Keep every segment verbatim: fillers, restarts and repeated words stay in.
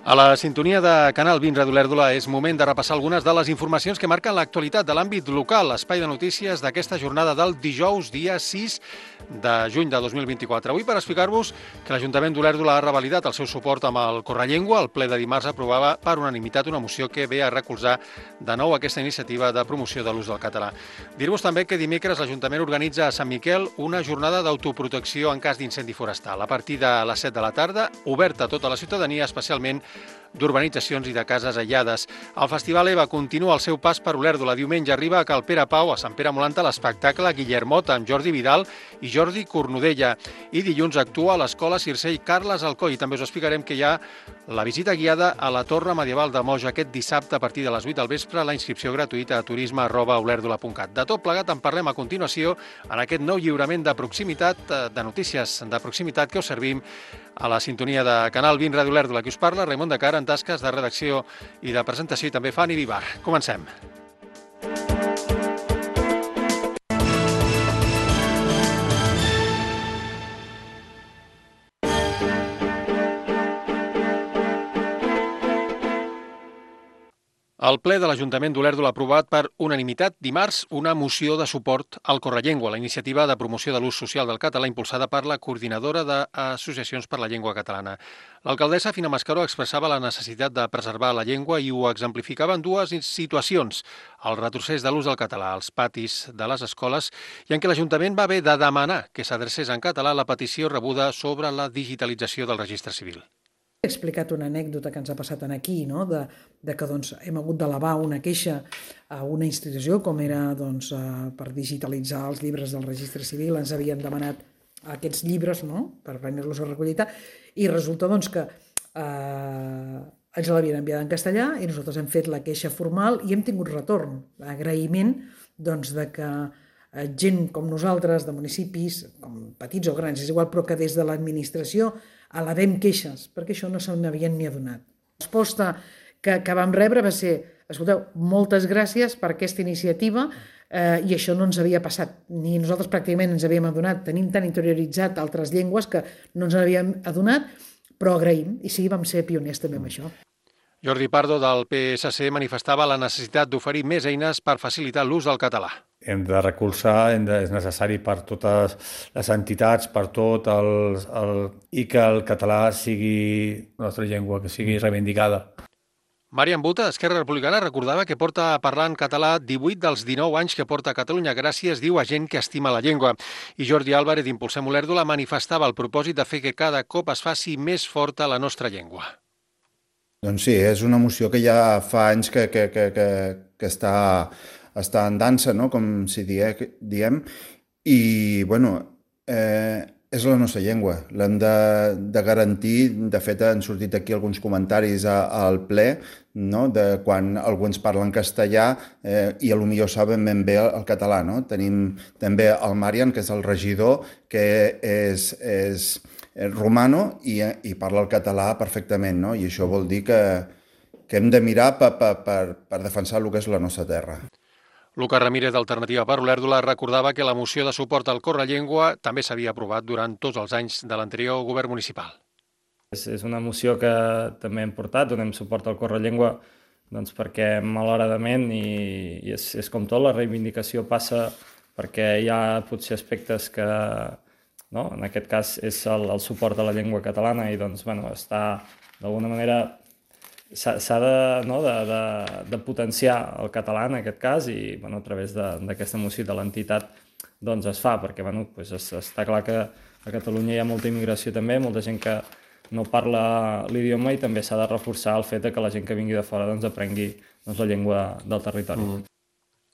A la sintonia de Canal vint Ràdio Olèrdola és moment de repassar algunes de les informacions que marquen l'actualitat de l'àmbit local. L'espai de notícies d'aquesta jornada del dijous, dia sis de juny de dos mil vint-i-quatre. Avui per explicar-vos que l'Ajuntament d'Olèrdola ha revalidat el seu suport amb el Correllengua. El ple de dimarts aprovava per unanimitat una moció que ve a recolzar de nou aquesta iniciativa de promoció de l'ús del català. Dir-vos també que dimecres l'Ajuntament organitza a Sant Miquel una jornada d'autoprotecció en cas d'incendi forestal. A partir de les set de la tarda, oberta a tota la ciutadania, especialment d'urbanitzacions i de cases aïllades. El Festival EVA continua el seu pas per Olèrdola. Diumenge arriba a Cal Pere Pau, a Sant Pere Molanta, l'espectacle Guillermot amb Jordi Vidal i Jordi Cornudella. I dilluns actua a l'Escola Circell Carles Alcoy. I també us explicarem que hi ha la visita guiada a la Torre Medieval de Moja aquest dissabte a partir de les vuit del vespre, la inscripció gratuïta a turisme arroba olèrdola punt cat. De tot plegat en parlem a continuació en aquest nou lliurament de proximitat, de notícies de proximitat que us servim a la sintonia de Canal vint Ràdio Olèrdola. Qui us parla, Raimon de Cara, en tasques de redacció i de presentació, i també Fanny Vivar. Comencem. El ple de l'Ajuntament d'Olèrdola ha aprovat per unanimitat dimarts una moció de suport al Correllengua, la iniciativa de promoció de l'ús social del català impulsada per la Coordinadora d'Associacions per la Llengua Catalana. L'alcaldessa Fina Mascaró expressava la necessitat de preservar la llengua i ho exemplificava en dues situacions: el retrocés de l'ús del català als patis de les escoles i en què l'Ajuntament va haver de demanar que s'adrecés en català la petició rebuda sobre la digitalització del registre civil. He explicat una anècdota que ens ha passat aquí, no? de, de que doncs, hem hagut d'elevar una queixa a una institució com era doncs, uh, per digitalitzar els llibres del registre civil. Ens havien demanat aquests llibres, no?, per prendre-los a recollida, i resulta doncs, que uh, ens l'havien enviat en castellà i nosaltres hem fet la queixa formal i hem tingut retorn, agraïment doncs, de que uh, gent com nosaltres, de municipis, com petits o grans, és igual, però que des de l'administració elevem queixes, perquè això no se n'havien ni adonat. La resposta que, que vam rebre va ser: escolteu, moltes gràcies per aquesta iniciativa, eh, i això no ens havia passat, ni nosaltres pràcticament ens havíem adonat, tenim tan interioritzat altres llengües que no ens havíem adonat, però agraïm, i sí, vam ser pioners també amb això. Jordi Pardo, del P S C, manifestava la necessitat d'oferir més eines per facilitar l'ús del català. Hem de recolzar, hem de, és necessari per totes les entitats, per tot, el, el, i que el català sigui la nostra llengua, que sigui reivindicada. Marian Buta, Esquerra Republicana, recordava que porta parlant català divuit dels dinou anys que porta a Catalunya, gràcies, diu, a gent que estima la llengua. I Jordi Álvarez, d'Impulsem Olèrdola, manifestava el propòsit de fer que cada cop es faci més forta la nostra llengua. Doncs sí, és una moció que ja fa anys que, que, que, que, que està, està en dansa, no?, com si die, diem, i, bueno, eh, és la nostra llengua, l'hem de, de garantir. De fet, han sortit aquí alguns comentaris a, al ple, no?, de quan algú ens parla en castellà eh, i potser saben ben bé el, el català, no? Tenim també el Marian, que és el regidor, que és... és romano i, i parla el català perfectament, no? I això vol dir que, que hem de mirar per, per, per, per defensar el que és la nostra terra. Lucas Ramírez, d'Alternativa per Olèrdola, recordava que la moció de suport al Correllengua també s'havia aprovat durant tots els anys de l'anterior govern municipal. És, és una moció que també hem portat, donem suport al Correllengua, doncs perquè malauradament, i, i és, és com tot, la reivindicació passa perquè hi ha potser aspectes que... No? En aquest cas és el, el suport a la llengua catalana i doncs, bueno, està d'alguna manera s'ha de, no, de, de, de potenciar el català en aquest cas i bueno, a través d'aquesta moció de l'entitat doncs es fa, perquè bueno, pues es, està clar que a Catalunya hi ha molta immigració també, molta gent que no parla l'idioma i també s'ha de reforçar el fet que la gent que vingui de fora doncs, aprengui doncs, la llengua del territori. Mm.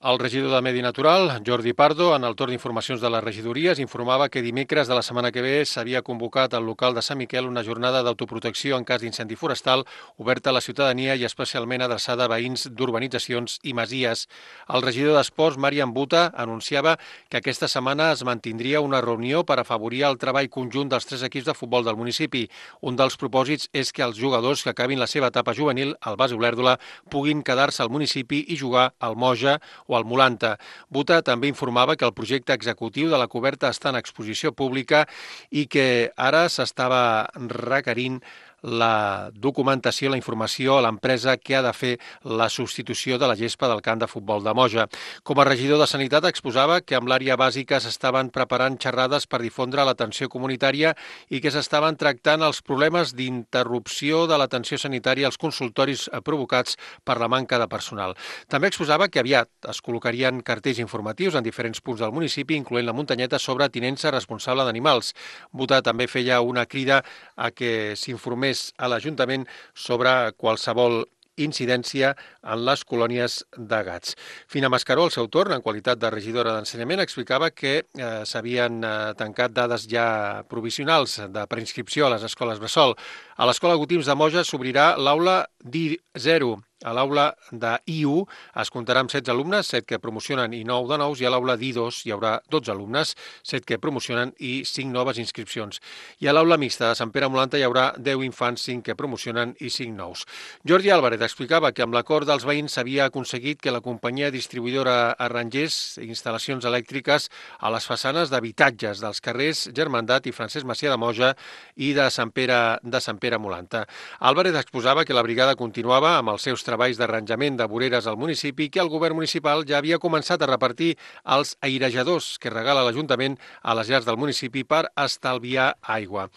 El regidor de Medi Natural, Jordi Pardo, en el torn d'informacions de les regidories, informava que dimecres de la setmana que ve s'havia convocat al local de Sant Miquel una jornada d'autoprotecció en cas d'incendi forestal oberta a la ciutadania i especialment adreçada a veïns d'urbanitzacions i masies. El regidor d'Esports, Marian Buta, anunciava que aquesta setmana es mantindria una reunió per afavorir el treball conjunt dels tres equips de futbol del municipi. Un dels propòsits és que els jugadors que acabin la seva etapa juvenil al base Olèrdola puguin quedar-se al municipi i jugar al Moja o al Molanta. Buta també informava que el projecte executiu de la coberta està en exposició pública i que ara s'estava requerint la documentació, la informació a l'empresa que ha de fer la substitució de la gespa del camp de futbol de Moja. Com a regidor de Sanitat exposava que amb l'àrea bàsica s'estaven preparant xerrades per difondre l'atenció comunitària i que s'estaven tractant els problemes d'interrupció de l'atenció sanitària als consultoris provocats per la manca de personal. També exposava que aviat es col·locarien cartells informatius en diferents punts del municipi, incloent la muntanyeta sobre tinença responsable d'animals. Botà també feia una crida a que s'informés a l'Ajuntament sobre qualsevol incidència en les colònies de gats. Fina Mascaró, al seu torn, en qualitat de regidora d'Ensenyament, explicava que eh, s'havien eh, tancat dades ja provisionals de preinscripció a les escoles bressol. A l'Escola Gotims de Moja s'obrirà l'aula D I zero. A l'aula de I u es comptarà amb setze alumnes, set que promocionen i nou de nous, i a l'aula D I dos hi haurà dotze alumnes, set que promocionen i cinc noves inscripcions. I a l'aula mixta de Sant Pere Molanta hi haurà deu infants, cinc que promocionen i cinc nous. Jordi Álvarez explicava que amb l'acord dels veïns s'havia aconseguit que la companyia distribuïdora arrangés instal·lacions elèctriques a les façanes d'habitatges dels carrers Germandat i Francesc Macià de Moja i de Sant Pere, de Sant Pere Molanta. Álvarez exposava que la brigada continuava amb els seus treballs d'arranjament de voreres al municipi, que el govern municipal ja havia començat a repartir els airejadors que regala l'Ajuntament a les llars del municipi per estalviar aigua.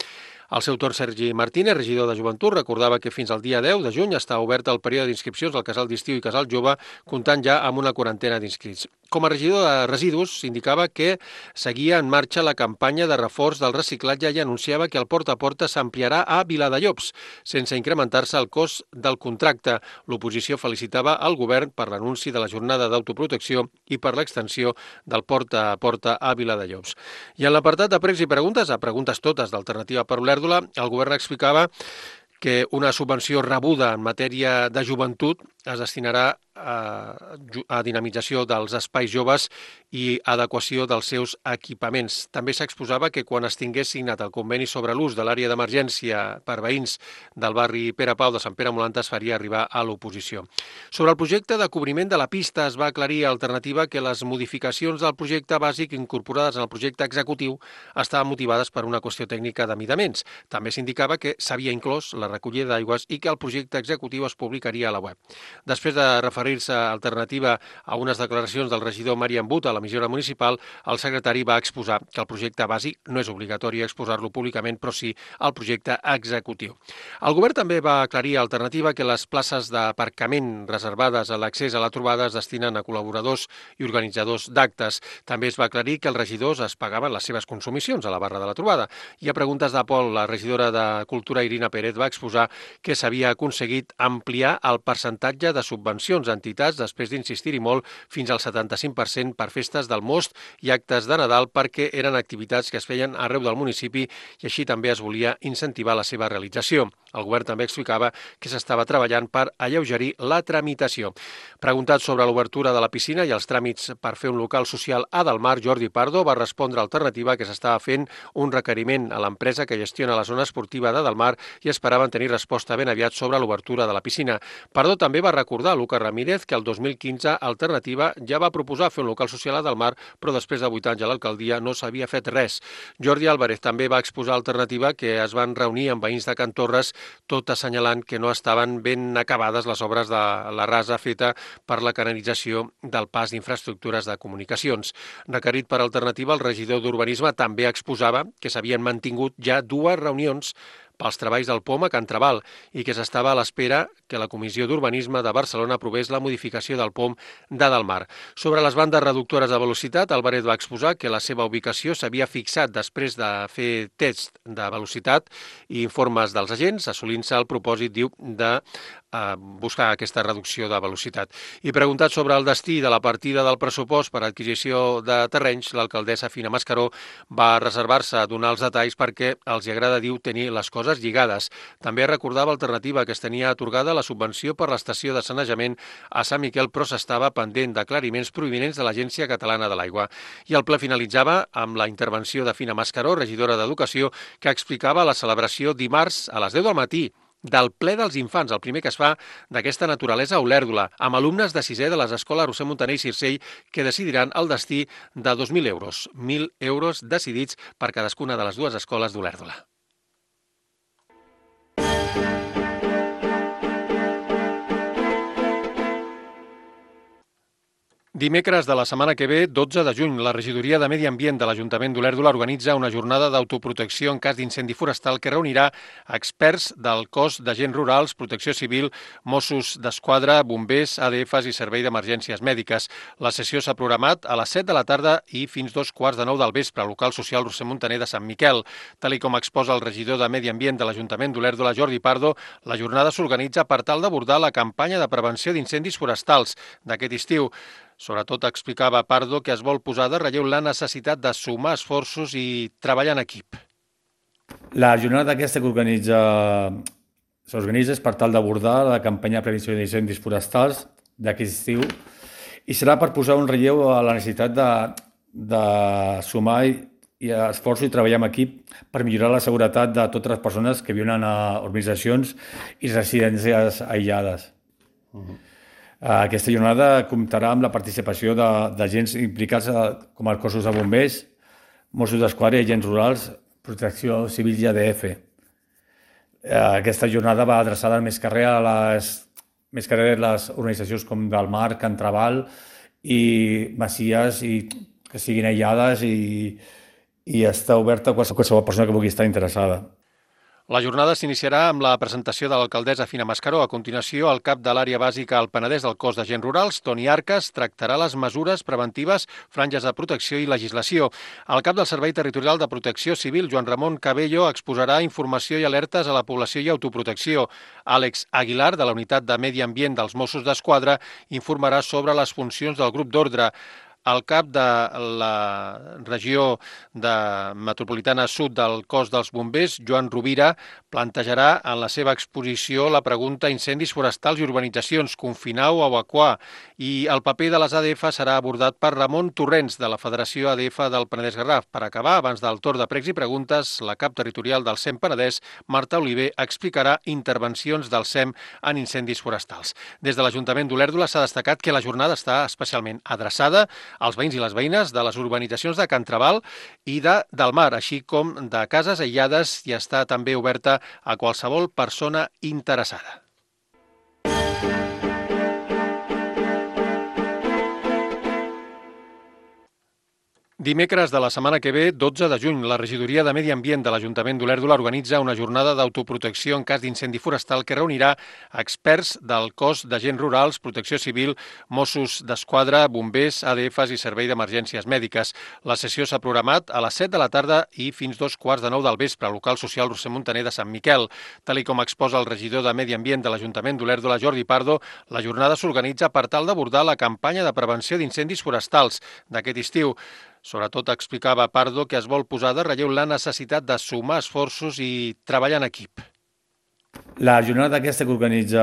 Al seu torn, Sergi Martínez, regidor de Joventut, recordava que fins al dia deu de juny està obert el període d'inscripcions al Casal d'Estiu i Casal Jove, comptant ja amb una quarantena d'inscrits. Com a regidor de Residus, s'indicava que seguia en marxa la campanya de reforç del reciclatge i anunciava que el porta a porta s'ampliarà a Viladellobs, sense incrementar-se el cost del contracte. L'oposició felicitava el govern per l'anunci de la jornada d'autoprotecció i per l'extensió del porta a porta a Viladellobs. I en l'apartat de pregs i preguntes, a preguntes totes d'Alternativa per Olèrdola, el govern explicava que una subvenció rebuda en matèria de joventut es destinarà a, a dinamització dels espais joves i adequació dels seus equipaments. També s'exposava que quan es tingués signat el conveni sobre l'ús de l'àrea d'emergència per veïns del barri Pere Pau de Sant Pere Molanta es faria arribar a l'oposició. Sobre el projecte de cobriment de la pista es va aclarir a Alternativa que les modificacions del projecte bàsic incorporades en el projecte executiu estaven motivades per una qüestió tècnica de midaments. També s'indicava que s'havia inclòs la recollida d'aigües i que el projecte executiu es publicaria a la web. Després de referir-se a Alternativa a unes declaracions del regidor Marian But a l'emissora municipal, el secretari va exposar que el projecte bàsic no és obligatori exposar-lo públicament, però sí el projecte executiu. El govern també va aclarir a Alternativa que les places d'aparcament reservades a l'accés a la trobada es destinen a col·laboradors i organitzadors d'actes. També es va aclarir que els regidors es pagaven les seves consumicions a la barra de la trobada. I a preguntes de Pol, la regidora de Cultura, Irina Pérez, va exposar que s'havia aconseguit ampliar el percentatge de subvencions a entitats després d'insistir-hi molt fins al setanta-cinc per cent per festes del Most i actes de Nadal perquè eren activitats que es feien arreu del municipi i així també es volia incentivar la seva realització. El govern també explicava que s'estava treballant per alleugerir la tramitació. Preguntat sobre l'obertura de la piscina i els tràmits per fer un local social a Delmar, Jordi Pardo va respondre a Alternativa que s'estava fent un requeriment a l'empresa que gestiona la zona esportiva de Delmar i esperaven tenir resposta ben aviat sobre l'obertura de la piscina. Pardo també va recordar a Lucas Ramírez que el dos mil quinze Alternativa ja va proposar fer un local social a Delmar, però després de vuit anys a l'alcaldia no s'havia fet res. Jordi Álvarez també va exposar a Alternativa que es van reunir amb veïns de Can Torres, tot assenyalant que no estaven ben acabades les obres de la rasa feta per la canalització del pas d'infraestructures de comunicacions. Requerit per Alternativa, el regidor d'Urbanisme també exposava que s'havien mantingut ja dues reunions pels treballs del P O M a Can Trabal i que s'estava a l'espera que la Comissió d'Urbanisme de Barcelona aprovés la modificació del P O M de Delmar. Sobre les bandes reductores de velocitat, Álvarez va exposar que la seva ubicació s'havia fixat després de fer test de velocitat i informes dels agents, assolint-se el propòsit, diu, de eh, buscar aquesta reducció de velocitat. I preguntat sobre el destí de la partida del pressupost per adquisició de terrenys, l'alcaldessa Fina Mascaró va reservar-se a donar els detalls perquè els hi agrada, diu, tenir les coses lligades. També recordava Alternativa que es tenia atorgada la subvenció per l'estació de sanejament a Sant Miquel, però s'estava pendent d'aclariments provinents de l'Agència Catalana de l'Aigua. I el ple finalitzava amb la intervenció de Fina Mascaró, regidora d'Educació, que explicava la celebració dimarts a les deu del matí del ple dels infants, el primer que es fa d'aquesta naturalesa a Olèrdola, amb alumnes de sisè de les escoles Roser Montaner i Circell que decidiran el destí de dos mil euros. mil euros decidits per cadascuna de les dues escoles d'Olèrdola. Dimecres de la setmana que ve, dotze de juny, la regidoria de Medi Ambient de l'Ajuntament d'Olèrdola organitza una jornada d'autoprotecció en cas d'incendi forestal que reunirà experts del cos d'agents rurals, protecció civil, Mossos d'Esquadra, bombers, A D Fs i Servei d'Emergències Mèdiques. La sessió s'ha programat a les set de la tarda i fins dos quarts de nou del vespre al local social Roser Montaner de Sant Miquel. Tal i com exposa el regidor de Medi Ambient de l'Ajuntament d'Olèrdola, Jordi Pardo, la jornada s'organitza per tal d'abordar la campanya de prevenció d'incendis forestals d'aquest estiu. Sobretot explicava Pardo que es vol posar de relleu la necessitat de sumar esforços i treballar en equip. La jornada aquesta que organitza s'organitza és per tal d'abordar la campanya de prevenció d'incendis forestals d'aquest estiu i serà per posar un relleu a la necessitat de, de sumar i esforços i treballar en equip per millorar la seguretat de totes les persones que viuen a urbanitzacions i residències aïllades. Uh-huh. Aquesta jornada comptarà amb la participació d'agents implicats com els cossos de bombers, Mossos d'Esquadra i agents rurals, protecció civil i A D F. Aquesta jornada va adreçada més carrer a les, més carrer a les organitzacions com del Mar, Can Trabal i Masies i que siguin aïllades i, i està oberta a qualsevol persona que vulgui estar interessada. La jornada s'iniciarà amb la presentació de l'alcaldessa Fina Mascaró. A continuació, el cap de l'àrea bàsica al Penedès del cos d'agents rurals, Toni Arcas, tractarà les mesures preventives, franges de protecció i legislació. El cap del Servei Territorial de Protecció Civil, Joan Ramon Cabello, exposarà informació i alertes a la població i autoprotecció. Àlex Aguilar, de la Unitat de Medi Ambient dels Mossos d'Esquadra, informarà sobre les funcions del grup d'ordre. El cap de la regió de metropolitana sud del cos dels bombers, Joan Rovira, plantejarà en la seva exposició la pregunta incendis forestals i urbanitzacions, confinar o evacuar, i el paper de les A D F serà abordat per Ramon Torrents, de la Federació A D F del Penedès Garraf. Per acabar, abans del torn de pregs i preguntes, la cap territorial del SEM Penedès, Marta Oliver, explicarà intervencions del SEM en incendis forestals. Des de l'Ajuntament d'Olèrdola s'ha destacat que la jornada està especialment adreçada als veïns i les veïnes de les urbanitzacions de Can Trabal i de del Mar, així com de cases aïllades, i està també oberta a qualsevol persona interessada. Dimecres de la setmana que ve, dotze de juny, la regidoria de Medi Ambient de l'Ajuntament d'Olèrdola organitza una jornada d'autoprotecció en cas d'incendi forestal que reunirà experts del cos d'agents rurals, protecció civil, Mossos d'Esquadra, bombers, A D Fs i Servei d'Emergències Mèdiques. La sessió s'ha programat a les set de la tarda i fins dos quarts de nou del vespre al local social Roser Montaner de Sant Miquel. Tal i com exposa el regidor de Medi Ambient de l'Ajuntament d'Olèrdola, Jordi Pardo, la jornada s'organitza per tal d'abordar la campanya de prevenció d'incendis forestals d'aquest estiu. Sobretot explicava Pardo que es vol posar de relleu la necessitat de sumar esforços i treballar en equip. La jornada aquesta que organitza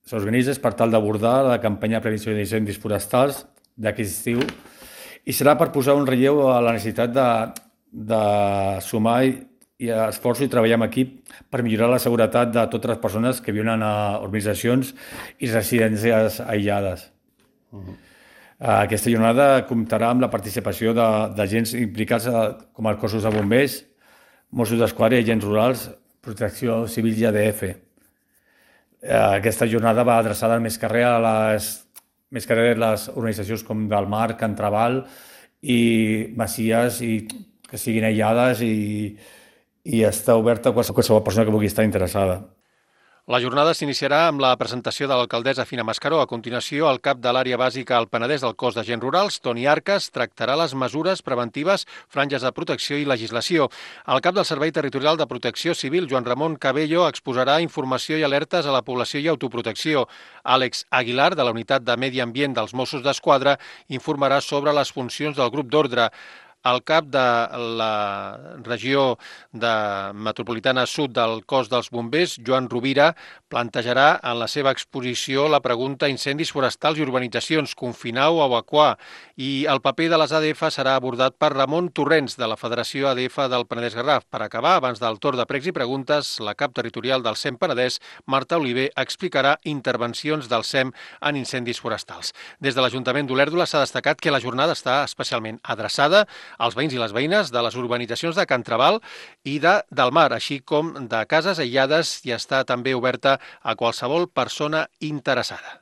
s'organitza és per tal d'abordar la campanya de prevenció d'incendis forestals d'aquest estiu i serà per posar un relleu a la necessitat de, de sumar i esforços i treballar en equip per millorar la seguretat de totes les persones que viuen a urbanitzacions i residències aïllades. Uh-huh. Aquesta jornada comptarà amb la participació d'agents implicats com els cossos de bombers, Mossos d'Esquadra i agents rurals, protecció civil i A D F. Aquesta jornada va adreçada més carrer a les, més carrer a les organitzacions com del Mar, Can Trabal i Masies i que siguin aïllades i, i està oberta a qualsevol persona que vulgui estar interessada. La jornada s'iniciarà amb la presentació de l'alcaldessa Fina Mascaró. A continuació, el cap de l'àrea bàsica al Penedès del cos d'agents rurals, Toni Arcas, tractarà les mesures preventives, franges de protecció i legislació. El cap del Servei Territorial de Protecció Civil, Joan Ramon Cabello, exposarà informació i alertes a la població i autoprotecció. Àlex Aguilar, de la Unitat de Medi Ambient dels Mossos d'Esquadra, informarà sobre les funcions del grup d'ordre. El cap de la regió de metropolitana sud del cos dels bombers, Joan Rovira, plantejarà en la seva exposició la pregunta incendis forestals i urbanitzacions, confinar o evacuar, i el paper de les A D F serà abordat per Ramon Torrents, de la Federació A D F del Penedès Garraf. Per acabar, abans del torn de pregs i preguntes, la cap territorial del SEM Penedès, Marta Oliver, explicarà intervencions del SEM en incendis forestals. Des de l'Ajuntament d'Olèrdola s'ha destacat que la jornada està especialment adreçada als veïns i les veïnes de les urbanitzacions de Can Trabal i de del Mar, així com de cases aïllades, i està també oberta a qualsevol persona interessada.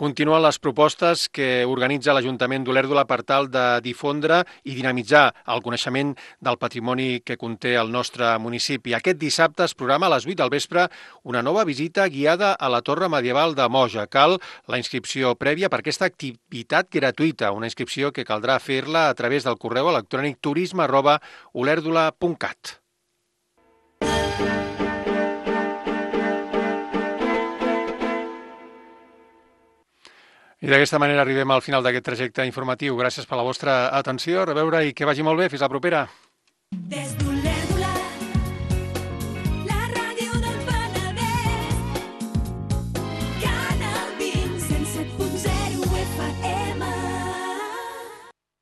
Continuen les propostes que organitza l'Ajuntament d'Olèrdola per tal de difondre i dinamitzar el coneixement del patrimoni que conté el nostre municipi. Aquest dissabte es programa a les vuit del vespre una nova visita guiada a la Torre Medieval de Moja. Cal la inscripció prèvia per aquesta activitat gratuïta, una inscripció que caldrà fer-la a través del correu electrònic turisme arroba olèrdola punt cat. I d'aquesta manera arribem al final d'aquest trajecte informatiu. Gràcies per la vostra atenció, a reveure i que vagi molt bé. Fins la propera.